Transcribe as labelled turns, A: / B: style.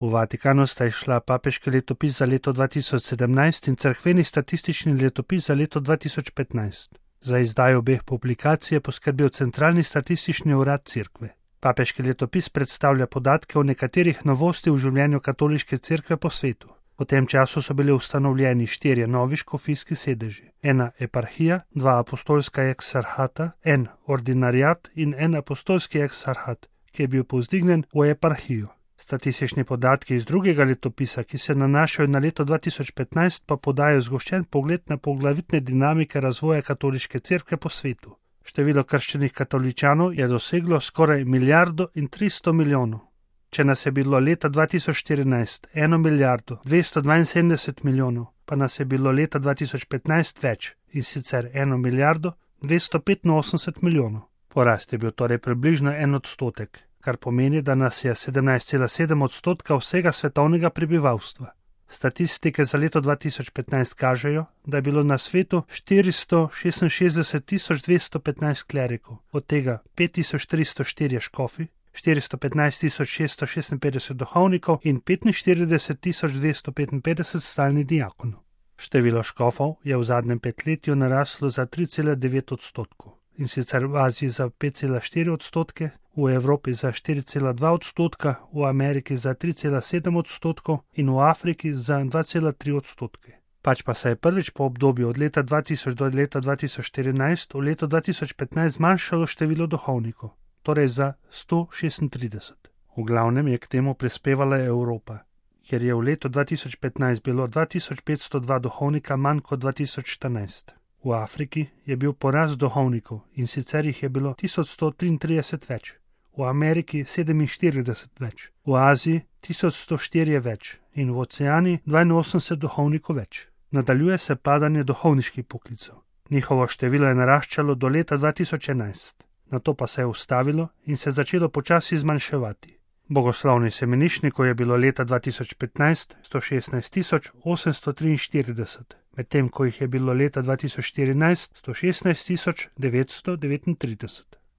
A: V Vatikanu sta izšla papeški letopis za leto 2017 in cerkveni statistični letopis za leto 2015. Za izdajo obeh publikacij je poskrbel Centralni statistični urad Cerkve. Papeški letopis predstavlja podatke o nekaterih novostih v življenju katoliške cerkve po svetu. V tem času so bili ustanovljeni 4 novi škofijski sedeži, 1 eparhija, 2 apostolska eksarhata, 1 ordinariat in 1 apostolski eksarhat, ki je bil povzdignjen v eparhijo. Statistični podatki iz drugega letopisa, ki se nanašajo na leto 2015, pa podajo zgoščen pogled na poglavitne dinamike razvoja katoliške cerkve po svetu. Število krščenih katoličanov je doseglo skoraj 1,3 milijarde. Če nas je bilo leta 2014 1,272 milijarde, pa nas je bilo leta 2015 več, in sicer 1,285 milijarde. Porast je bil torej približno 1%, kar pomeni, da nas je 17,7% vsega svetovnega prebivalstva. Statistike za leto 2015 kažejo, da je bilo na svetu 466.215 klerikov, od tega 5.304 škofi, 415.656 duhovnikov in 45.255 stalnih diakonov. Število škofov je v zadnjem petletju naraslo za 3,9%, in sicer v Aziji za 5,4%, v Evropi za 4,2%, v Ameriki za 3,7% in v Afriki za 2,3%. Pač pa se je prvič po obdobju od leta 2000 do leta 2014 v leto 2015 zmanjšalo število duhovnikov, torej za 136. V glavnem je k temu prispevala Evropa, kjer je v letu 2015 bilo 2502 duhovnika manj kot 2014. V Afriki je bil porast duhovnikov, in sicer jih je bilo 1133 več, v Ameriki 47 več, v Aziji 1104 več in v Oceaniji 82 duhovnikov več. Nadaljuje se padanje duhovniških poklicev. Njihovo število je naraščalo do leta 2011, nato pa se je ustavilo in se začelo počasi zmanjševati. Bogoslovnih semeniščnikov je bilo leta 2015 116.843, medtem ko jih je bilo leta 2014 116.939.